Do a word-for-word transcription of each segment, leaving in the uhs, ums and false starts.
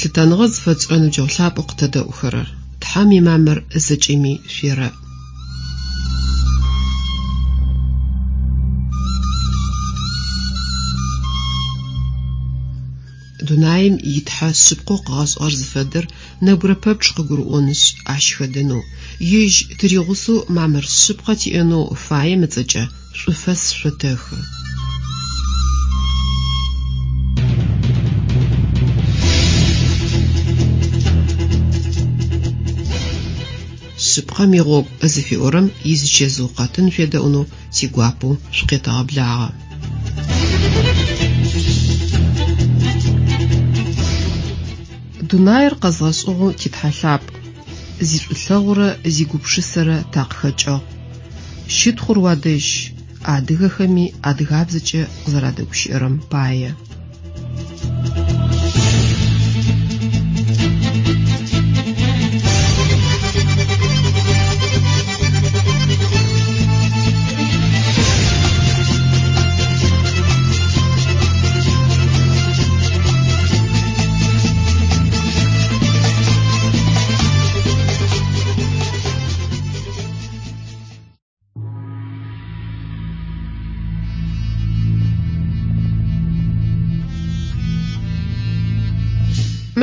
Лъытэныгъэ зыфэтшӏырэ ныбджэгъу лъапӏэу къытэдэӏухэрэр, Тхьэм имамыр зэкӏэми шъуерэӏ. Дунаим итхьэ шъыпкъэу къыгъэшӏыгъэр зыфэдэр нэбгырэ пэпчъ къыгурыӏонышъ, ащ хэдэнэу, ежь тыригъусэу мамыр шъыпкъэ тиӏэнэу фаем ыцӏэкӏэ шӏуфэс шъотэхы. Шъыпкъэм игъогу зыфиӏорэм изычэзыу къэтын шъуедэӏунэу тигуапэу шъукъетэгъэблагъэ. Дунаир къэзгъэшӏыгъэу титхьэ лъапӏ, зишӏулъэгъурэ зигупшысэрэ такъыхэкӏыгъ. Щытхъур уадэжь, адыгэхэми адыгабзэкӏэ къызэрадэгущыӏэрэм пае.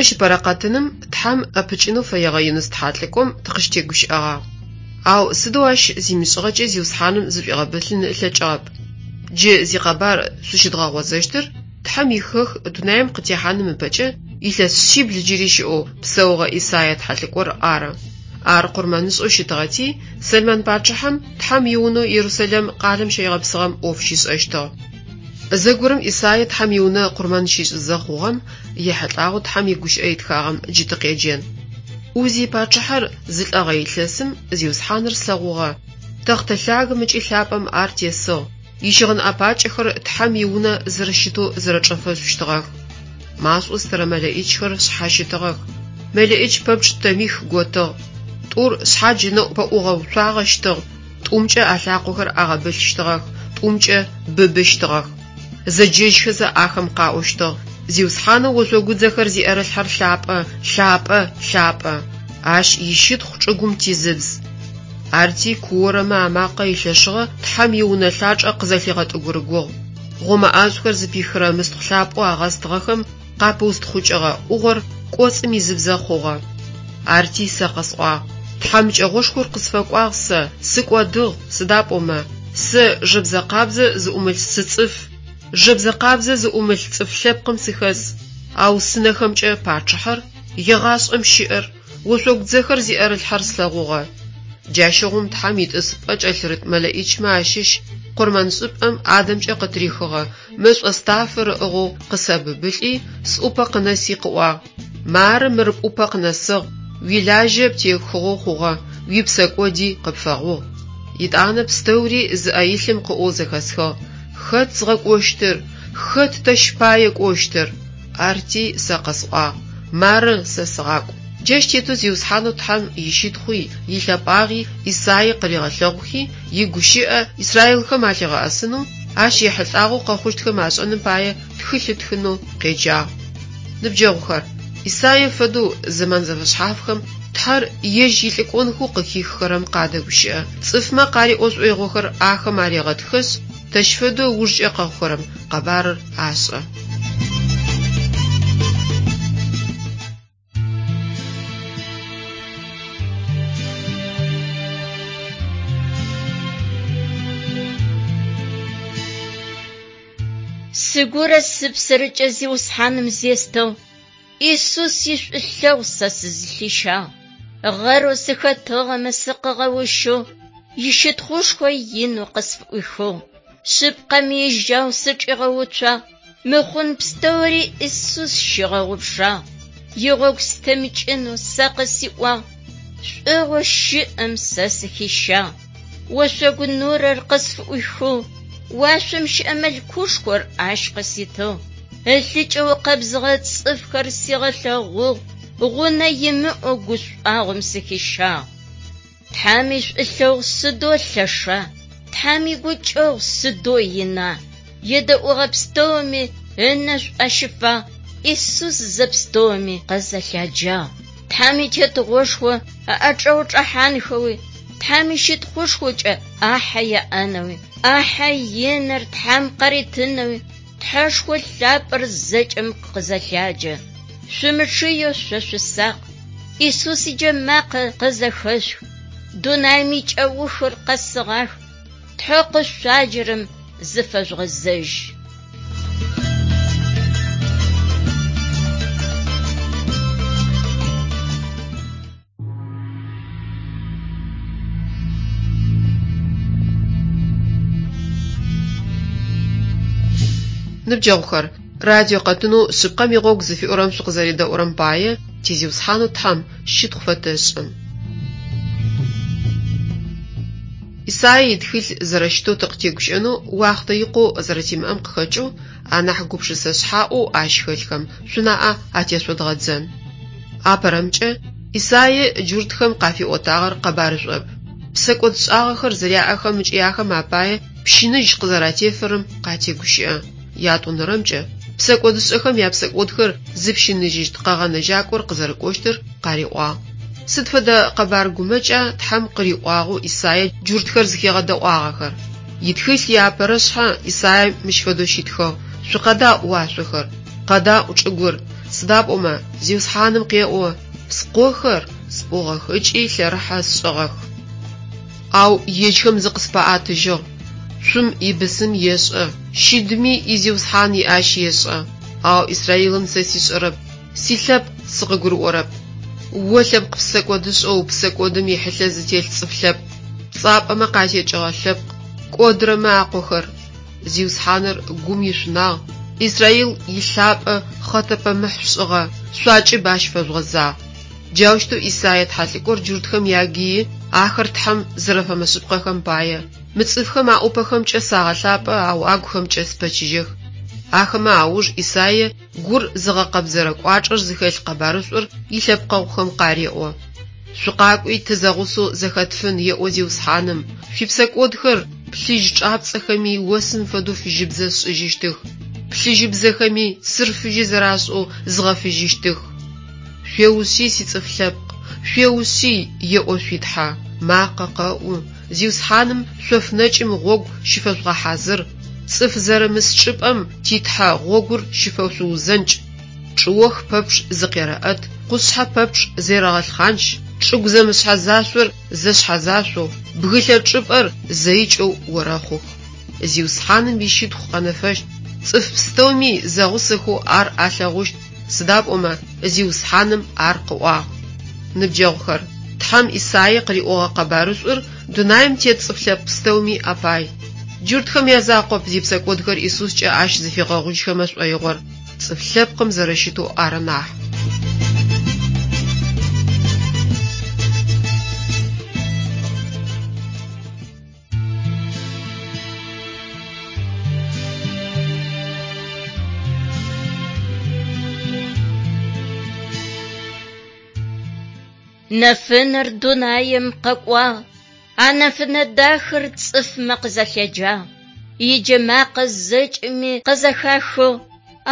Мыщ ыпэрэ къэтыным Тхьэм ӏэпыкӏынэу фэегъэ Юныс тхьалӏыкӏом тыкъыщытегущыӏэгъагъ. Ау сыдэу ащ зимышӏыгъэкӏи Зиусхьаным зышӏуигъэбылъын ылъэкӏыгъэп. Джы зикъэбар шъущыдгъэгъозэщтыр Тхьэм ихэх дунаим къытехьаным ыпэкӏэ илъэс шъибл джыри щыӏэу псэугъэ Исайя тхьалӏыкӏор ары. Ар къурмэнышӏэу щытыгъэти, Сэлмэн пачъыхьэм Тхьэм иунэу Иерусалим къалэм щигъэпсыгъэм ӏоф щишӏэщтыгъ. Зэгорэм Исайя Тхьэм иунэ къурмэн щишӏызэ хъугъэм ехьылӏагъэу Тхьэм игущыӏэ итхагъэм джы тыкъеджэн. Узий пачъыхьэр зылӏэгъэ илъэсым Зиусхьаныр слъэгъугъэ. Тэхътэ лъагэм ыкӏи лъапӏэм ар тесыгъ. Ищыгъын ӏэпакӏэхэр Тхьэм иунэ зэрэщытэу зэрэчӏэфэшъущтыгъэх. Машӏо стырэ мэлэӏичхэр шъхьащытыгъэх. Мэлэӏич пэпчъ тэмих готыгъ. Тӏур шъхьадж ынэӏу пэӏугъэуцуагъэщтыгъ, тӏумкӏэ алъакъохэр агъэбылъщтыгъэх, тӏумкӏэ быбыщтыгъэх. Зэджэжьхэзэ ахэм къаӏощтыгъ: Зиусхьанэу ошъогудзэхэр зиӏэрылъхьэр лъапӏэ, лъапӏэ, лъапӏэ. Ащ ищытхъу чӏыгум тизыбз. Арти куорэмэ амакъэ илъэшыгъэ Тхьэм иунэ лъачӏэ къызэлъигъэтӏыгурыгугъ. Гъомэ ӏашӏухэр зыпихырэ мыстхъу лъапӏэу агъэстыгъэхэм къапыустхъукӏыгъэ ӏугъор кӏоцӏым изыбзэ хъугъэ. Арти сэ къэсӏуагъ: Тхьамыкӏэгъошхор къысфэкӏуагъ сэ, сыкӏодыгъ, сыда пӏомэ, сэ жэбзэ къабзэ зыӏумылъ сыцӏыф, жэбзэ къабзэ зыӏумылъ цӏыф лъэпкъым сыхэс, ау сынэхэмкӏэ пачъыхьэр, егъашӏэм щыӏэр, ошъогудзэхэр зиӏэрылъхьэр слъэгъугъэ. Джащыгъум Тхьэм итӏысыпӏэ кӏэлъырыт мэлэӏичмэ ащыщ къурмэншӏыпӏэм Адамкӏэ къытырихыгъэ мэшӏо стафэр ыӏыгъэу къысэбыбылӏи, сӏупэ къынэси къыӏуагъ: Мары мыр пӏупэ къынэсыгъ, уилажьэ птехыгъэу хъугъэ, уипсэкӏоди къыпфэгъугъ. Етӏанэ пстэури зыӏэ илъым къыӏоу зэхэсхыгъ: Хэт згъэкӏощтыр? Хэт тэщ пае кӏощтыр? Арти сэ къэсӏуагъ: Мары сэ сыгъакӏу. Джащ тетэу Зиусхьанэу Тхьэм ищытхъуи, илъэпӏагъи Исаие къыригъэлъэгъухи, игущыӏэ Израилхэм алъигъэӏэсынэу, ащ ехьылӏагъэу къэхъущтхэм ашӏэным пае тхылъ ытхынэу къеджагъ. Ныбджэгъухэр, Исаие фэдэу зэман зэфэшъхьафхэм Тхьэр ежь илӏыкӏонхэу къыхиххэрэм къадэгущыӏэ. Цӏыфмэ къариӏо шӏоигъохэр ахэм арегъэтхэшъ, тэщ фэдэу ыужкӏэ къэхъухэрэм къэбарыр ашӏэ. Сыгурэ сыпсэрэкӏэ Зиусхьаным зестэу, Иисус ишӏулъэгъу сэ сызылъищагъ. Гъэрэу сыхэтыгъэмэ сыкъыгъэущэу, ищытхъушхо инэу къысфыӏуихыгъ. Шъыпкъэми ижьау сычӏигъэуцуагъ, мыхъун пстэури Иисус щигъэгъупшагъ. Игъогу сытемыкӏынэу сэ къысиӏуагъ, шӏугъэу щыӏэм сэ сыхищагъ. Ошъогу нурэр къысфыӏуихыгъ, уашъом щыӏэ мылъкушхор ащ къыситыгъ. Ылъыкӏэ укъэбзыгъэ цӏыфхэр сигъэлъэгъугъ, гъунэ имыӏэу гушӏуагъом сыхищагъ. Тхьэм ишӏулъэгъу сыдэу лъэша, Тхьэм игукӏэгъу сыдэу ина. Едэӏугъэ пстэуми ынэшӏу ащыфагъ, Исус зэпстэуми къызэлъаджагъ. Тхьэм итетыгъошхо ыӏэчӏэ чӏэхьанхэуи, Тхьэм ищытхъушхокӏэ ӏахьэ яӏэнэуи, ӏахьэ иныр Тхьэм къаритынэуи, Тхьэшхо лъапӏэр зэкӏэм къызэлъаджэ. Шъумычъыеу шъо шъусакъ. Исус иджэмакъэ къызэхэшъух. Дунаим икӏэухыр къэсыгъах. Тхьэ къышъуаджэрэм зыфэжъугъэзэжь. Ныбджэгъухэр, радио къэтынэу шъыпкъэм игъогу зыфиӏорэм шъукъызэредэӏурэм пае ти Зиусхьанэу Тхьэм щытхъу фэтэшӏы. Исаие итхылъ зэрэщытэу тыкъытегущыӏэнэу уахътэ икъоу зэрэтимыӏэм къыхэкӏэу анахь гупшысэ шъхьаӏэу ащ хэлъхэм шъунаӏэ атешъодгъэдзэн. Апэрэмкӏэ, Исаие джуртхэм къафиӏотагъэр къэбарышӏоп. Псэкӏодшӏагъэхэр зэряӏэхэм ыкӏи ахэм апае пщыныжь къызэратефэрэм къатегущыӏэ. Ятӏонэрэмкӏэ, псэкӏодышӏэхэм япсэкӏодхэр зыпщыныжьыщт къэгъэнэжьакӏор къызэрэкӏощтыр къариӏуагъ. Сыд фэдэ къэбар гумэкӏа Тхьэм къыриӏуагъэу Исаие джуртхэр зыхигъэдэӏуагъэхэр? Итхылъ иапэрэ шъхьэ Исаие мыщ фэдэу щитхыгъ: «Шъукъэдаӏу уашъохэр, къэдаӏу чӏыгур, сыда пӏомэ Зиусхьаным къеӏо: Скъохэр спӏугъэх ыкӏи лъэрыхьэ сшӏыгъэх. Ау ежьхэм зыкъыспаӏатыжьыгъ. Цум ибысым ешӏэ, щыдми изиусхьан иӏащ ешӏэ. Ау Израилым сэ сишӏэрэп, силъэпкъ сыкъыгурыӏорэп. О лъэпкъ псэкӏодышӏэу псэкӏодым ихьылъэ зытелъ цӏыф лъэпкъ, пцӏапӏэмэ къатекӏыгъэ лъэпкъ, кӏодырэмэ акъохэр. Зиусхьаныр гум ишъунагъ, Израил илъапӏэ хъэтэпэмыхь шъушӏыгъэ, шъуакӏыб ащ фэжъугъэзагъ. Джаущтэу Исаие тхьэлӏыкӏор джуртхэм ягыи ахэр Тхьэм зэрэфэмышъыпкъэхэм пае. Мы цӏыфхэм аӏупэхэмкӏэ сагъэлъапӏэ, ау агухэмкӏэ спэчыжьэх. Ахэмэ ауж Исаие гур зыгъэкъэбзэрэ кӏуачӏэр зыхэлъ къэбарышӏур илъэпкъэгъухэм къареӏо. Шъукъакӏуи тызэгъусэу зэхэтфын, еӏо Зиусхьаным. Шъуипсэкӏодхэр плъыжь чӏапцӏэхэми осым фэдэу фыжьыбзэ сшӏыжьыщтых. Плъыжьыбзэхэми цыр фыжьы зэрашӏэу згъэфыжьыщтых. Шъуеушъый, сицӏыф лъэпкъ, шъуеушъый, еӏо шъуи Тхьэ. Макъэ къэӏу, Зиусхьаным шъоф нэкӏым гъогу щыфэжъугъэхьазыр. Цӏыф зэрымыс чӏыпӏэм ти Тхьэ гъогур щыфэшъуузэнкӏ. Чӏыох пэпчъ зыкъерэӏэт, къушъхьэ пэпчъ зерэгъэлъхъанч, чӏыгу зэмышъхьэзашъор зэшъхьэзашъоу, бгылъэ чӏыпӏэр зэикӏэу орэхъух. Зиусхьаным ищытхъу къэнэфэщт, цӏыф пстэуми зэгъусэхэу ар алъэгъущт, сыда пӏомэ Зиусхьаным ар къыӏуагъ. Ныбджэгъухэр, Тхьэм Исаие къыриӏогъэ къэбарышӏур дунаим тет цӏыф лъэпкъ пстэуми апай. Джуртхэм язакъоп зипсэкӏодхэр Исускӏэ ащ зыфигъэгъужьхэмэ шӏоигъор, цӏыф лъэпкъым зэрэщытэу ары нахь. Нэфынэр дунаим къэкӏуагъ, а нэфынэ дахэр цӏыфмэ къызэлъэджагъ. Иджэмакъэ зэкӏэми къызэхахыгъ,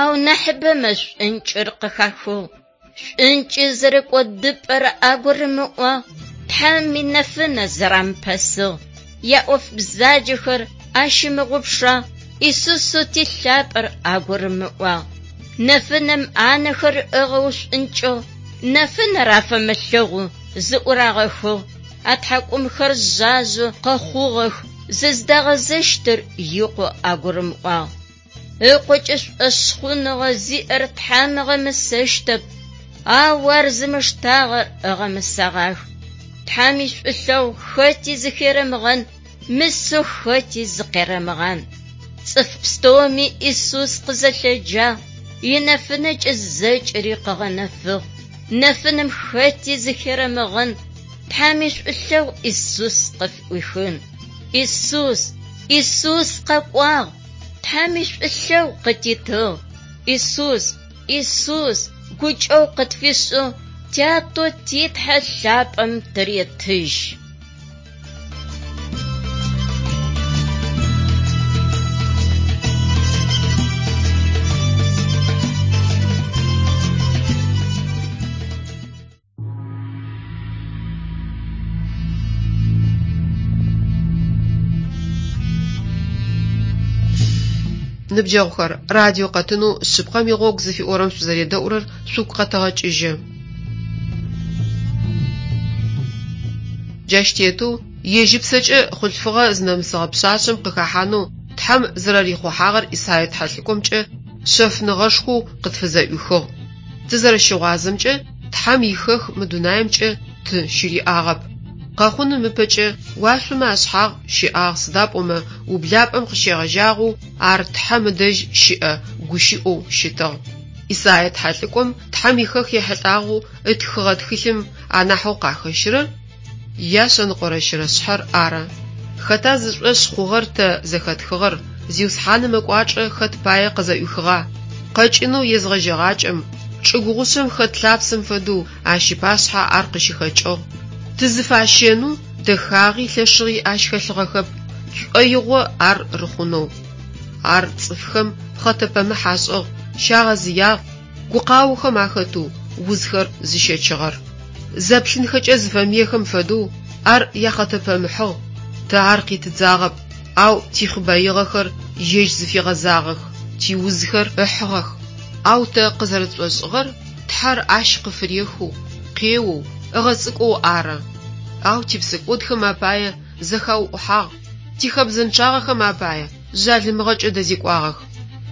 ау нахьыбэмэ шӏункӏыр къыхахыгъ. Шӏункӏы зэрэкӏодыпӏэр агурымыӏуагъ, Тхьэм инэфынэ зэрамыпэсыгъ. Яӏоф бзаджэхэр ащымыгъупшагъ, Исусэу ти лъапӏэр агурымыӏуагъ. Нэфынэм анэхэр ыгъэушӏункӏыгъ, нэфынэр афэмылъэгъу зыӏурагъэхыгъ. Атхьакӏумхэр жъажъэу къэхъугъэх, зыздагъэзэщтыр икъоу агурымыӏуагъ. Ыкъокӏэ шӏошъхъуныгъэ зиӏэр Тхьэм ыгъэмысэщтэп, ау ар зымыштагъэр ыгъэмысэгъах. Тхьэм ишӏулъэгъу хэти зыхерэмыгъэн, мысэу хэти зыкъерэмыгъан. Цӏыф пстэуми Исус къызэлъэджагъ, инэфынэкӏэ зэкӏэри къыгъэнэфыгъ. Нэфынэм хэти зыхерэмыгъэн, Тхьэм ишӏулъэгъу Исус къыфӏуихын. Исус, Исус къэкӏуагъ, Тхьэм ишӏулъэгъу къытитыгъ. Исус, Исус гукӏэгъу къытфишӏыгъ, тято ти Тхьэ лъапӏэм тыретыжь. Ныбджэгъухэр, радио къэтынэу «Шъыпкъэм игъогу» зыфиӏорэм шъузэредэӏурэр шъугу къэтэгъэкӏыжьы. Джащ тетэу ежь ыпсэкӏэ хъулъфыгъэ зынэмысыгъэ пшъашъэм къыхэхьанэу Тхьэм зэрэрихъухьагъэр Исае тхьэлӏыкӏомкӏэ шъэфыныгъэшхоу къытфызэӏуихыгъ. Тызэрэщыгъуазэмкӏэ, Тхьэм ихэх мы дунаимкӏэ ты щыриӏагъэп. Къэхъуным ыпэкӏэ уашъомэ ашъхьагъ щыӏагъ сыда пӏомэ ублапӏэм къыщегъэжьагъэу ар Тхьэм ыдэжь щыӏэ гущыӏэу щытыгъ. Исае тхьэлӏыкӏом Тхьэм ихэх ехьылӏагъэу ытхыгъэ тхылъым анахьэу къахэщырэр яшъэныкъорэ щырэ шъхьэр ары. Хэта зышӏошъ хъугъэр тэ зэхэтхыгъэр, Зиусхьаным ыкӏуачӏэ хэт пае къызэӏуихыгъа? Къэкӏынэу езгъэжьэгъакӏэм, чӏыгу гъушъэм хэт лъапсэм фэдэу ащ ыпашъхьэ ар къыщыхэкӏыгъ. Тызыфащэнэу дэхагъи лъэшыгъи ащ хэлъыгъэхэп, тшӏоигъо ар рыхъунэу. Ар цӏыфхэм пхъэтэпэмыхь ашӏыгъ, щагъэзыягъ, гукъаохэм ахэтэу узхэр зыщэчыгъэр. Зэплъынхэкӏэ зыфэмыехэм фэдэу ар яхъэтэпэмыхьыгъ, тэ ар къитыдзагъэп, ау тихъыбаигъэхэр ежь зыфигъэзагъэх, тиузхэр ыхьыгъэх. Ау тэ къызэрэтшӏошӏыгъэр Тхьэр ащ къыфырехэу, къеоу, ыгъэцӏыкӏоу ары. Ау типсэкӏодхэм апае зэхауӏухьагъ, тихэбзэнчъагъэхэм апае жъалымыгъэкӏэ дэзекӏуагъэх.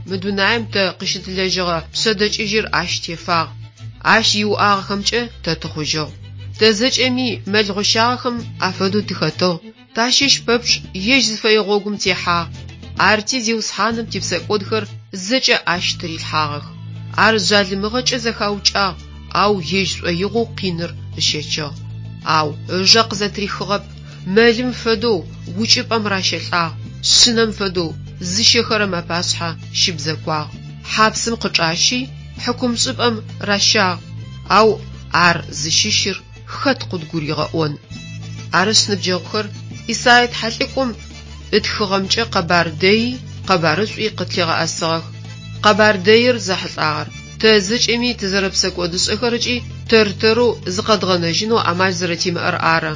Мы дунаим тэ къыщытылэжьыгъэ пшъэдэкӏыжьыр ащ тефагъ. Ащ иуӏагъэхэмкӏэ тэ тыхъужьыгъ. Тэ зэкӏэми мэл гъощагъэхэм афэдэу тыхэтыгъ. Тащыщ пэпчъ ежь зыфэе гъогум техьагъ. Арти Зиусхьаным типсэкӏодхэр зэкӏэ ащ тырилъхьагъэх. Ар жъалымыгъэкӏэ зэхаукӏагъ, ау ежь шӏоигъоу къиныр ыщэчыгъ. Ау ыжэ къызэтрихыгъэп, мэлым фэдэу укӏыпӏэм ращэлӏагъ, шъынэм фэдэу зыщэхэрэм апашъхьэ щыбзэкуагъ. Хьапсым къычӏащи, хьыкумшӏыпӏэм ращагъ, ау ар зыщыщыр хэт къыдгуригъэӏон. Арышъ, ныбджэгъухэр, Исае тхьэлӏыкӏом ытхыгъэмкӏэ къэбар дэи къэбарышӏуи къытлъигъэӏэсыгъэх. Къэбар дэир зэхьылӏагъэр тэ зэкӏэми тызэрэпсэкӏодышӏэхэр ыкӏи тэр-тэрэу зыкъэдгъэнэжьынэу амал зэрэтимыӏэр ары.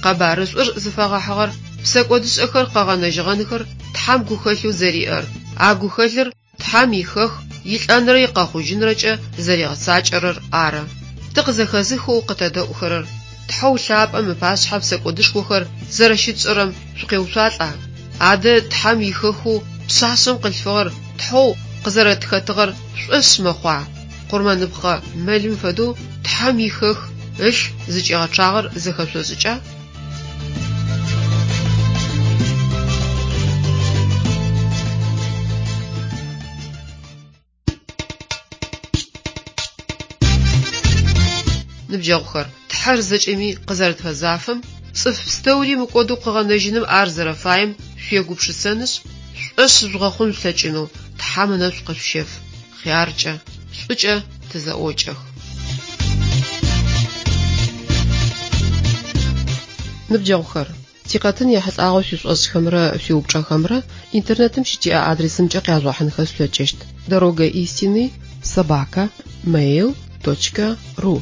Къэбарышӏур зыфэгъэхьыгъэр псэкӏодышӏэхэр къэгъэнэжьыгъэнхэр Тхьэм гухэлъэу зэриӏэр, а гухэлъыр Тхьэм ихэх илӏэнрэ икъэхъужьынрэкӏэ зэригъэцакӏэрэр ары. Тыкъызэхэзыхэу къытэдэӏухэрэр, Тхьэу лъапӏэм ыпашъхьэ псэкӏодышхохэр зэрэщытшӏэрэм шъукъеуцуалӏа? Адэ Тхьэм ихэхэу пшъашъэм къылъфыгъэр Тхьэу къызэрэтхэтыгъэр шъушӏошъ мэхъуа? Къурмэныпхъэ мэлым фэдэу Тхьэм ихэх ылъ зыкӏигъэчъагъэр зэхэшъошӏыкӏа? Ныбджэгъухэр, Тхьэр зэкӏэми къызэрэтфэзафэм, цӏыф пстэури мыкӏодэу къыгъэнэжьыным ар зэрэфаем шъуегупшысэнышъ, шъушӏошъ жъугъэхъун шъулъэкӏынэу Тхьэм ынэшӏу къышъущеф. Хъяркӏэ, шӏукӏэ тызэӏокӏэх. Ныбджэгъухэр, тикъэтын ехьылӏагъэу шъуишӏошӏхэмрэ шъуиупчӏэхэмрэ интернетым щытиӏэ адресымкӏэ къяжъугъэхьынхэ шъулъэкӏыщт: дорога истины собака mail точка ру.